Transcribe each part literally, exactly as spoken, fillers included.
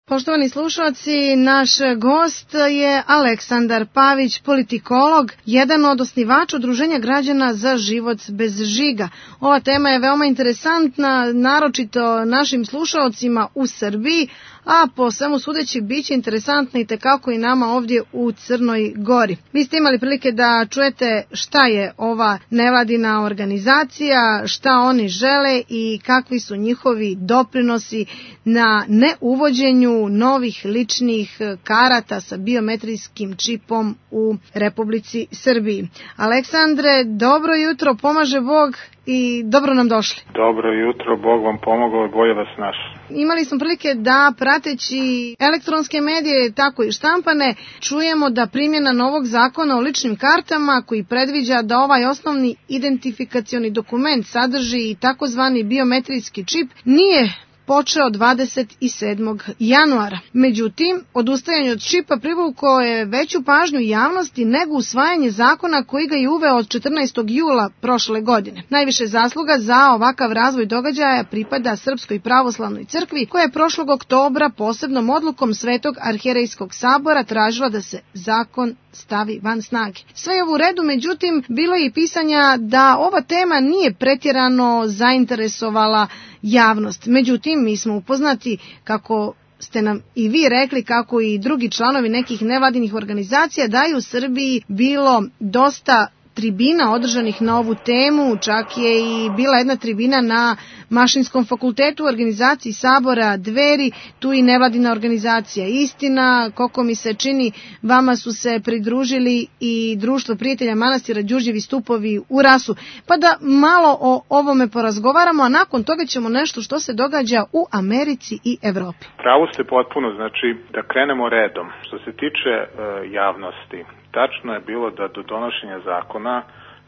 Poštovani slušalci, naš gost je Aleksandar Pavić, politikolog, jedan od osnivača Udruženja građana za život bez žiga. Ova tema je veoma interesantna, naročito našim slušalcima u Srbiji, a po svemu sudeći biće interesantna i tekako i nama ovdje u Crnoj Gori. Vi ste imali prilike da čujete šta je ova nevladina organizacija, šta oni žele i kakvi su njihovi doprinosi na neuvođenju novih ličnih karata sa biometrijskim čipom u Republici Srbiji. Aleksandre, dobro jutro, pomaže Bog i dobro nam došli. Dobro jutro, Bog vam pomogao i bolje vas našao. Imali smo prilike da prateći elektronske medije, tako i štampane, čujemo da primjena novog zakona o ličnim kartama koji predviđa da ovaj osnovni identifikacioni dokument sadrži i takozvani biometrijski čip nije počeo dvadeset sedmog januara. Međutim, odustajanje od čipa privuklo je veću pažnju javnosti nego usvajanje zakona koji ga je uveo od četrnaestog jula prošle godine. Najviše zasluga za ovakav razvoj događaja pripada Srpskoj pravoslavnoj crkvi, koja je prošlog oktobra posebnom odlukom Svetog arhijerejskog sabora tražila da se zakon stavi van snage. Sve je u redu, međutim, bilo je i pisanja da ova tema nije pretjerano zainteresovala javnost. Međutim, mi smo upoznati, kako ste nam i vi rekli, kako i drugi članovi nekih nevladinih organizacija, da je u Srbiji bilo dosta tribina održanih na ovu temu, čak je i bila jedna tribina na Mašinskom fakultetu u organizaciji Sabora Dveri, tu i nevladina organizacija Istina, koliko mi se čini, vama su se pridružili i Društvo prijatelja manastira Đurđevi stupovi u Rasu. Pa da malo o ovome porazgovaramo, a nakon toga ćemo nešto što se događa u Americi i Evropi. Pravo ste potpuno, znači da krenemo redom. Što se tiče e, javnosti, tačno je bilo da do donošenja zakona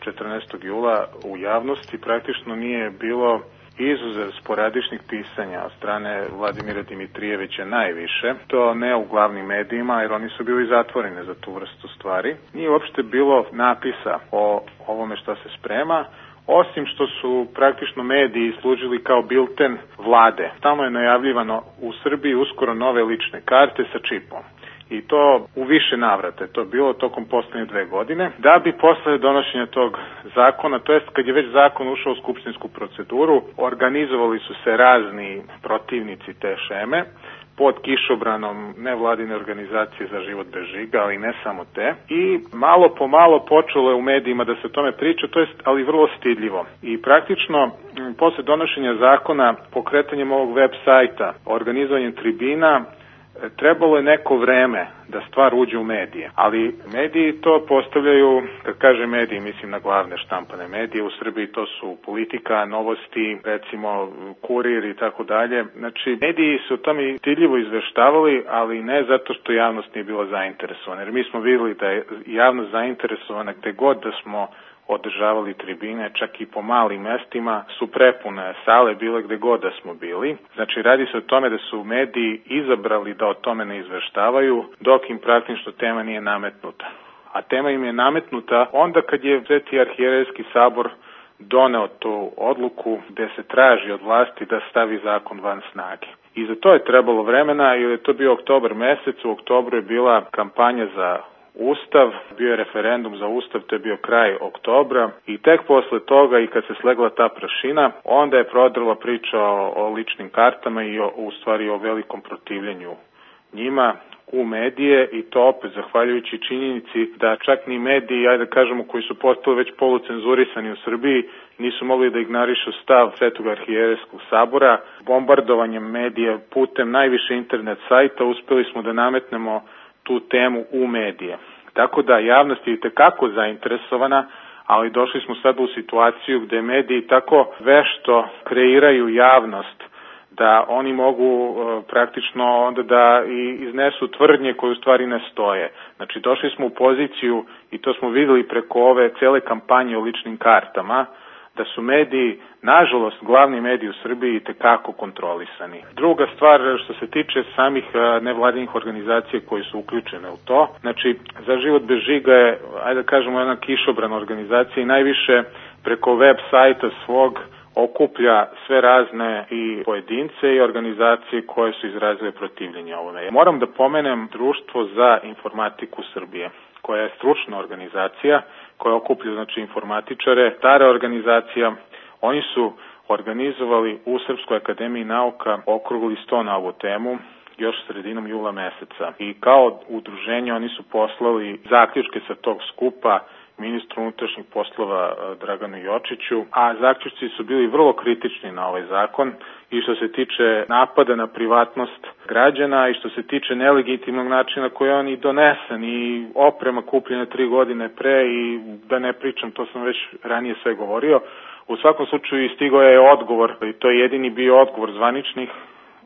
četrnaestog jula u javnosti praktično nije bilo, izuzev sporadičnih pisanja od strane Vladimira Dimitrijevića najviše, to ne u glavnim medijima jer oni su bili zatvoreni za tu vrstu stvari. Nije uopšte bilo napisa o ovome što se sprema, osim što su praktično mediji služili kao bilten vlade. Tamo je najavljivano u Srbiji uskoro nove lične karte sa čipom. I to u više navrata je to bilo tokom poslednje dve godine, da bi posle donošenja tog zakona, to jest kad je već zakon ušao u skupštinsku proceduru, organizovali su se razni protivnici te šeme, pod kišobranom nevladine organizacije za život bez žiga, ali ne samo te. I malo po malo počelo je u medijima da se o tome priča, to jest, ali vrlo stidljivo. I praktično, posle donošenja zakona, pokretanjem ovog web sajta, organizovanjem tribina, trebalo je neko vreme da stvar uđe u medije, ali mediji to postavljaju, kad kaže mediji, mislim na glavne štampane medije, u Srbiji to su Politika, Novosti, recimo Kurir i tako dalje. Znači, mediji su o tome stidljivo izveštavali, ali ne zato što javnost nije bila zainteresovana, jer mi smo vidjeli da je javnost zainteresovana gde god da smo održavali tribine, čak i po malim mestima su prepune sale bile gde god da smo bili. Znači, radi se o tome da su mediji izabrali da o tome ne izveštavaju, dok im praktično tema nije nametnuta. A tema im je nametnuta onda kad je Sveti arhijerejski sabor doneo tu odluku gde se traži od vlasti da stavi zakon van snage. I za to je trebalo vremena, jer je to bio oktobar mesec, u oktobru je bila kampanja za Ustav, bio je referendum za Ustav, to je bio kraj oktobra i tek posle toga i kad se slegla ta prašina, onda je prodrla priča o, o ličnim kartama i o, u stvari o velikom protivljenju njima u medije i to opet zahvaljujući činjenici da čak ni mediji, ajde da kažemo, koji su postali već polucenzurisani u Srbiji, nisu mogli da ignorišu stav Svetog arhijerejskog sabora. Bombardovanjem medija putem najviše internet sajta uspeli smo da nametnemo tu temu u medije. Tako da javnost je itekako zainteresovana, ali došli smo sad u situaciju gde mediji tako vešto kreiraju javnost da oni mogu e, praktično onda da i iznesu tvrdnje koje u stvari ne stoje. Znači, došli smo u poziciju, i to smo videli preko ove cele kampanje o ličnim kartama, da su mediji, nažalost, glavni mediji u Srbiji itekako kontrolisani. Druga stvar, što se tiče samih nevladinih organizacija koji su uključene u to, znači, Za život bez žiga je, ajde da kažemo, jedna kišobrana organizacija i najviše preko web sajta svog okuplja sve razne i pojedince i organizacije koje su izrazile protivljenje ovome. Moram da pomenem Društvo za informatiku Srbije, koja je stručna organizacija, koja okuplja znači informatičare, stara organizacija. Oni su organizovali u Srpskoj akademiji nauka okrugli sto na ovu temu još sredinom jula meseca. I kao udruženje oni su poslali zaključke sa tog skupa ministru unutrašnjih poslova Draganu Jočiću, a zaključci su bili vrlo kritični na ovaj zakon i što se tiče napada na privatnost građana i što se tiče nelegitimnog načina koji on i donesen i oprema kupljena tri godine pre i da ne pričam, to sam već ranije sve govorio. U svakom slučaju stigao je odgovor i to je jedini bio odgovor zvaničnih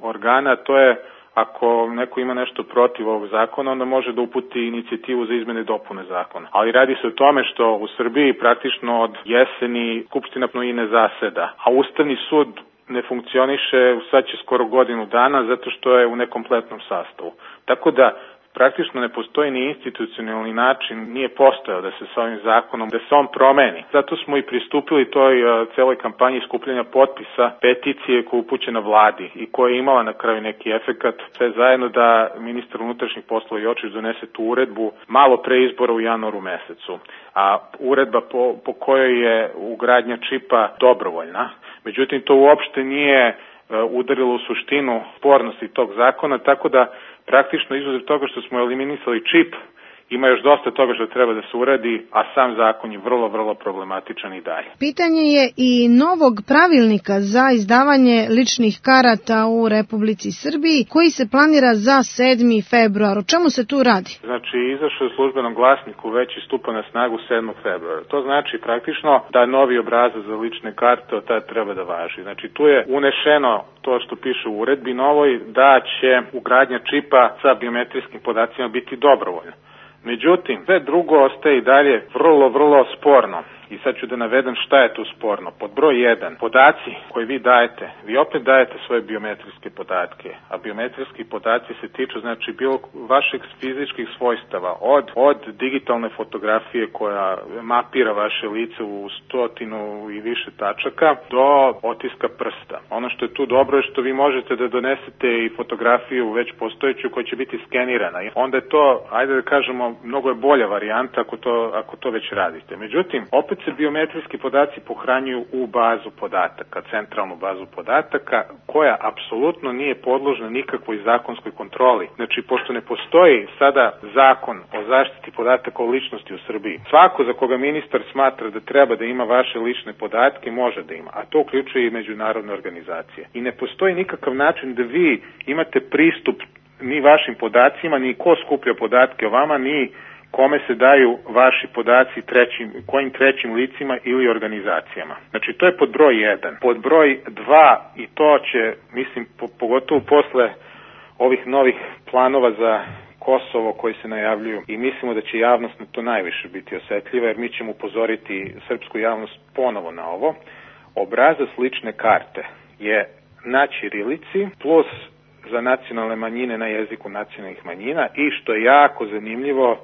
organa, to je ako neko ima nešto protiv ovog zakona, onda može da uputi inicijativu za izmene i dopune zakona. Ali radi se o tome što u Srbiji praktično od jeseni Skupština i ne zaseda, a Ustavni sud ne funkcioniše sad će skoro godinu dana zato što je u nekompletnom sastavu. Tako da praktično ne postoji ni institucionalni način, nije postojao da se sa ovim zakonom, da se on promeni. Zato smo i pristupili toj uh, celoj kampanji skupljanja potpisa, peticije koja je upućena vladi i koja je imala na kraju neki efekat, sve zajedno da ministar unutrašnjih poslova Jočić donese tu uredbu malo pre izbora u januaru mesecu. A uredba po, po kojoj je ugradnja čipa dobrovoljna. Međutim, to uopšte nije uh, udarilo u suštinu spornosti tog zakona, tako da praktično izuzev toga što smo eliminisali čip, ima još dosta toga što treba da se uradi, a sam zakon je vrlo, vrlo problematičan i dalje. Pitanje je i novog pravilnika za izdavanje ličnih karata u Republici Srbiji, koji se planira za sedmi februar. O čemu se tu radi? Znači, izašao je u službenom glasniku već i stupa na snagu sedmog februara. To znači praktično da novi obrazac za lične karte od tada treba da važi. Znači, tu je unešeno to što piše u uredbi novoj, da će ugradnja čipa sa biometrijskim podacima biti dobrovoljna. Međutim, sve drugo ostaje i dalje vrlo, vrlo sporno. I sad ću da navedem šta je tu sporno. Pod broj jedan, podaci koje vi dajete, vi opet dajete svoje biometrijske podatke, a biometrijski podaci se tiču znači bilo vaših fizičkih svojstava, od, od digitalne fotografije koja mapira vaše lice u stotinu i više tačaka, do otiska prsta. Ono što je tu dobro je što vi možete da donesete i fotografiju već postojeću koja će biti skenirana. Onda je to, ajde da kažemo, mnogo je bolja varijanta ako to, ako to već radite. Međutim, opet se biometrijski podaci pohranjuju u bazu podataka, centralnu bazu podataka, koja apsolutno nije podložna nikakvoj zakonskoj kontroli. Znači, pošto ne postoji sada zakon o zaštiti podataka o ličnosti u Srbiji, svako za koga ministar smatra da treba da ima vaše lične podatke, može da ima, a to uključuje i međunarodne organizacije. I ne postoji nikakav način da vi imate pristup ni vašim podacima, ni ko skuplja podatke o vama, ni kome se daju vaši podaci trećim, kojim trećim licima ili organizacijama. Znači, to je pod broj jedan. Pod broj dva, i to će, mislim, po, pogotovo posle ovih novih planova za Kosovo koji se najavljuju i mislimo da će javnost na to najviše biti osetljiva, jer mi ćemo upozoriti srpsku javnost ponovo na ovo. Obrazac lične karte je na ćirilici plus za nacionalne manjine na jeziku nacionalnih manjina i što je jako zanimljivo,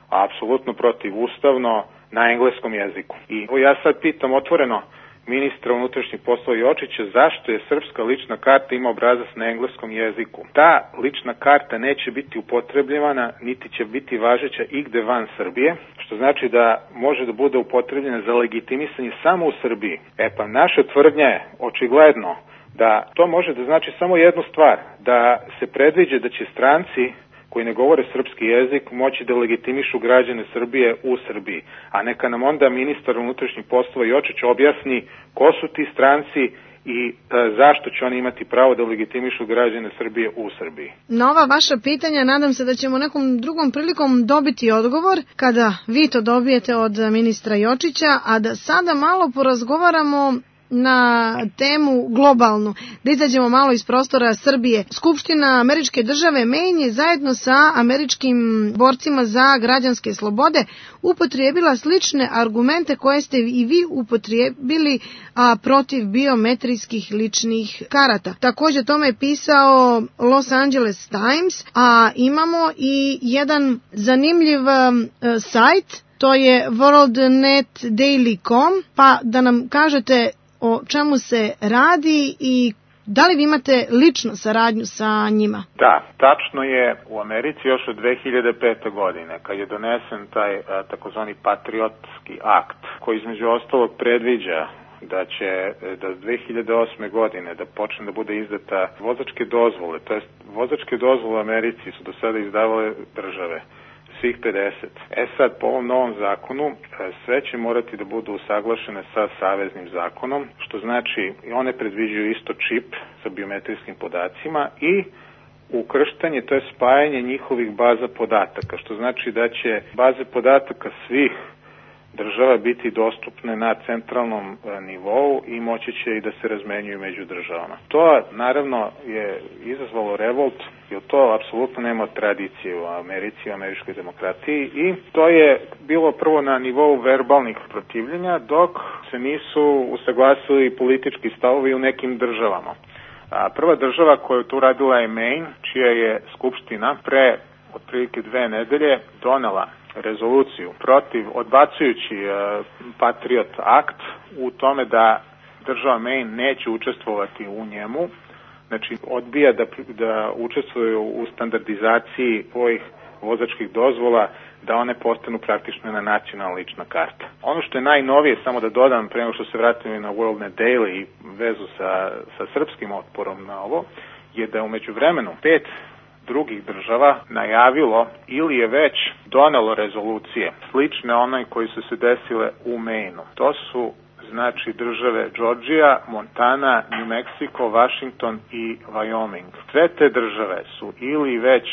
a apsolutno protivustavno, na engleskom jeziku. I ja sad pitam otvoreno ministra unutrašnjih poslova Jočića zašto je srpska lična karta ima obrazac na engleskom jeziku. Ta lična karta neće biti upotrebljavana, niti će biti važeća igde van Srbije, što znači da može da bude upotrebljena za legitimisanje samo u Srbiji. E pa naša tvrdnja je očigledno da to može da znači samo jednu stvar, da se predviđa da će stranci koji ne govore srpski jezik moći da legitimišu građane Srbije u Srbiji. A neka nam onda ministar unutrašnjih poslova Jočić objasni ko su ti stranci i e, zašto će oni imati pravo da legitimišu građane Srbije u Srbiji. Na ova vaša pitanja nadam se da ćemo nekom drugom prilikom dobiti odgovor kada vi to dobijete od ministra Jočića, a da sada malo porazgovaramo na temu globalnu, da izađemo malo iz prostora Srbije. Skupština Američke države Maine je zajedno sa američkim borcima za građanske slobode upotrijebila slične argumente koje ste i vi upotrijebili a, protiv biometrijskih ličnih karata. Također tome je pisao Los Angeles Times, a imamo i jedan zanimljiv a, sajt, to je world net daily dot com, pa da nam kažete o čemu se radi i da li vi imate lično saradnju sa njima? Da, tačno je u Americi još od dve hiljade pete. godine, kad je donesen taj takozvani patriotski akt, koji između ostalog predviđa da će da dve hiljade osme. godine da počne da bude izdata vozačke dozvole, to jest vozačke dozvole u Americi su do sada izdavale države, svih pedeset. E sad, po ovom novom zakonu, sve će morati da budu usaglašene sa saveznim zakonom, što znači i one predviđaju isto čip sa biometrijskim podacima i ukrštanje, to je spajanje njihovih baza podataka, što znači da će baze podataka svih država biti dostupne na centralnom nivou i moći će i da se razmenjuju među državama. To naravno je izazvalo revolt, jer to apsolutno nema tradicije u Americi, u američkoj demokratiji i to je bilo prvo na nivou verbalnih protivljenja, dok se nisu usaglasili politički stavovi u nekim državama. A prva država koja je tu radila je Maine, čija je skupština pre otprilike dve nedelje donela rezoluciju protiv, odbacujući uh, Patriot Act u tome da država Maine neće učestvovati u njemu, znači odbija da, da učestvuju u standardizaciji svojih vozačkih dozvola, da one postanu praktično na nacionalna lična karta. Ono što je najnovije, samo da dodam, pre nego što se vratimo na WorldNet Daily i vezu sa, sa srpskim otporom na ovo, je da je umeđu vremenu pet drugih država najavilo ili je već donelo rezolucije slične onoj koji su se desile u Maine-u. To su znači države Georgia, Montana, New Mexico, Washington i Wyoming. Sve te države su ili već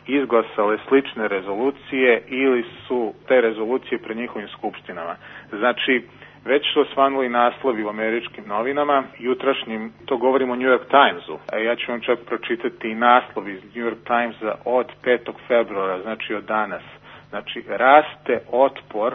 izglasale slične rezolucije ili su te rezolucije pred njihovim skupštinama. Znači, već su osvanuli naslovi u američkim novinama, jutrašnjim, to govorimo o New York Timesu, a ja ću vam čak pročitati i naslov iz New York Timesa od petog februara, znači od danas. Znači, raste otpor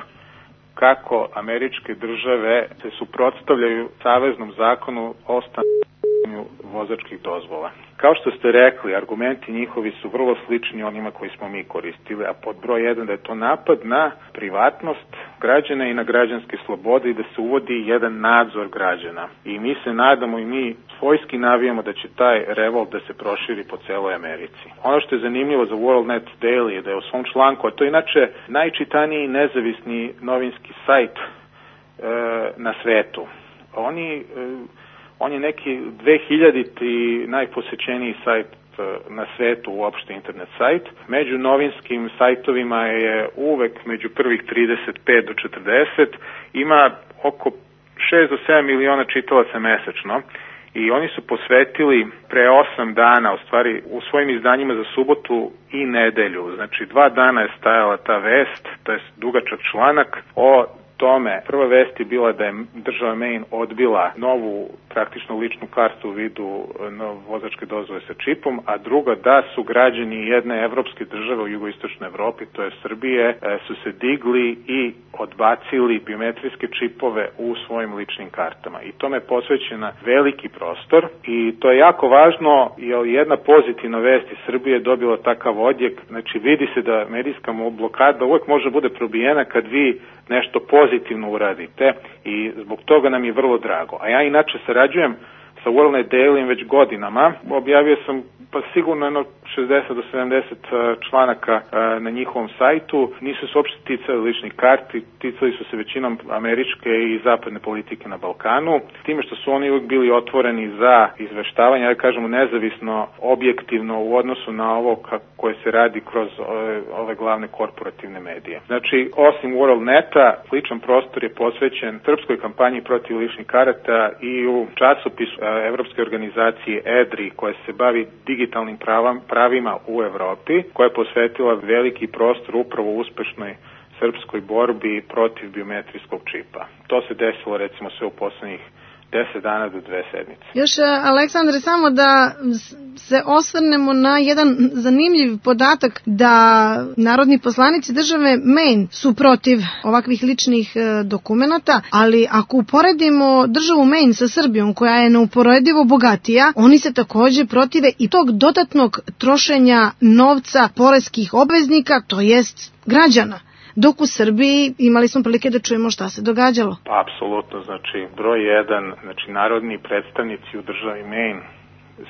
kako američke države se suprotstavljaju saveznom zakonu o stanju vozačkih dozvola. Kao što ste rekli, argumenti njihovi su vrlo slični onima koji smo mi koristili, a pod broj jedan da je to napad na privatnost građana i na građanske slobode i da se uvodi jedan nadzor građana. I mi se nadamo i mi svojski navijamo da će taj revolt da se proširi po celoj Americi. Ono što je zanimljivo za WorldNet Daily je da je u svom članku, a to je inače najčitaniji nezavisni novinski sajt e, na svetu. Oni... E, On je neki dve hiljaditi najposećeniji sajt na svetu, uopšte internet sajt. Među novinskim sajtovima je uvek među prvih trideset pet do četrdeset. Ima oko šest do sedam miliona čitalaca mesečno. I oni su posvetili pre osam dana, u stvari u svojim izdanjima za subotu i nedelju. Znači dva dana je stajala ta vest, to je dugačak članak o tome. Prva vest je bila da je država Maine odbila novu praktično ličnu kartu u vidu vozačke dozvole sa čipom, a druga da su građani jedne evropske države u jugoistočnoj Evropi, to je Srbije, su se digli i odbacili biometrijske čipove u svojim ličnim kartama. I tome je posvećena veliki prostor i to je jako važno jer jedna pozitivna vest iz Srbije dobila takav odjek. Znači vidi se da medijska blokada uvek može bude probijena kad vi nešto pozitivno uradite i zbog toga nam je vrlo drago. A ja inače sarađujem sa WorldNet Daily već godinama. Objavio sam pa sigurno jedno šezdeset do sedamdeset članaka na njihovom sajtu. Nisu se uopšte ticali ličnih karti, ticali su se većinom američke i zapadne politike na Balkanu. Time što su oni uvijek bili otvoreni za izveštavanje, ja kažemo nezavisno, objektivno u odnosu na ovo koje se radi kroz ove, ove glavne korporativne medije. Znači, osim WorldNeta, sličan prostor je posvećen srpskoj kampanji protiv ličnih karata i u časopisu Evropske organizacije E D R I koja se bavi digitalnim pravam, pravima u Evropi, koja je posvetila veliki prostor upravo uspešnoj srpskoj borbi protiv biometrijskog čipa. To se desilo recimo sve u poslednjih deset dana do dve sedmice. Još, Aleksandre, samo da se osvrnemo na jedan zanimljiv podatak da narodni poslanici države Maine su protiv ovakvih ličnih dokumenata, ali ako uporedimo državu Maine sa Srbijom, koja je neuporedivo bogatija, oni se takođe protive i tog dodatnog trošenja novca poreskih obveznika, to jest građana. dok u Srbiji imali smo prilike da čujemo šta se događalo. Pa, apsolutno, znači broj jedan, znači narodni predstavnici u državi Maine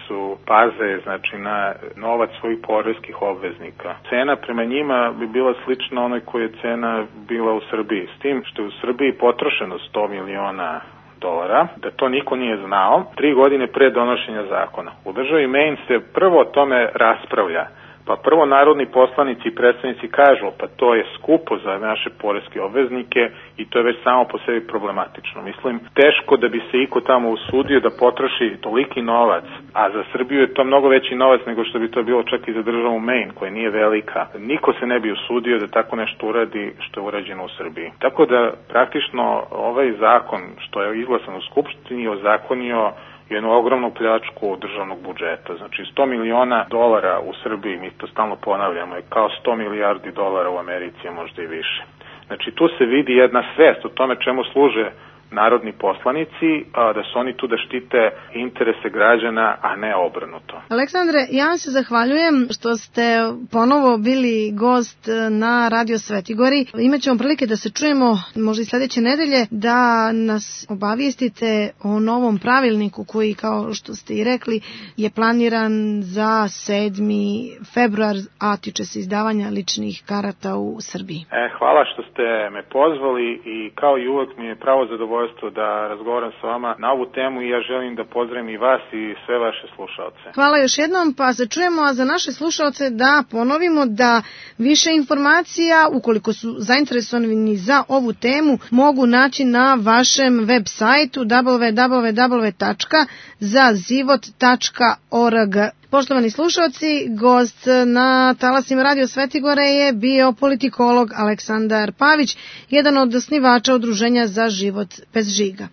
su paze znači na novac svojih poreskih obveznika. Cena prema njima bi bila slična onoj koja je cena bila u Srbiji, s tim što je u Srbiji potrošeno sto miliona dolara, da to niko nije znao, tri godine pre donošenja zakona. U državi Maine se prvo o tome raspravlja. Pa prvo narodni poslanici i predstavnici kažu, pa to je skupo za naše poreske obveznike i to je već samo po sebi problematično. Mislim, teško da bi se iko tamo usudio da potroši toliki novac, a za Srbiju je to mnogo veći novac nego što bi to bilo čak i za državu Maine, koja nije velika. Niko se ne bi usudio da tako nešto uradi što je urađeno u Srbiji. Tako da praktično ovaj zakon što je izglasan u Skupštini je ozakonio jednu ogromnu pljačku državnog budžeta. Znači sto miliona dolara u Srbiji, mi to stalno ponavljamo, je kao sto milijardi dolara u Americi, a možda i više. Znači tu se vidi jedna svest o tome čemu služe narodni poslanici, a da su oni tu da štite interese građana, a ne obrnuto. Aleksandre, ja vam se zahvaljujem što ste ponovo bili gost na Radio Svetigori. Imaćemo prilike da se čujemo možda i sledeće nedelje, da nas obavijestite o novom pravilniku koji, kao što ste i rekli, je planiran za sedmi februar, a tiče se izdavanja ličnih karata u Srbiji. E, hvala što ste me pozvali i kao i uvek mi je pravo zadovoljstvo da razgovaram sa vama na ovu temu i ja želim da pozdravim i vas i sve vaše slušaoce. Hvala još jednom, pa se čujemo, a za naše slušaoce da ponovimo da više informacija, ukoliko su zainteresovani za ovu temu, mogu naći na vašem web sajtu w w w tačka zazivot tačka org. Poštovani slušalci, gost na talasima Radio Svetigore je bio politikolog Aleksandar Pavić, jedan od osnivača Udruženja za život bez žiga.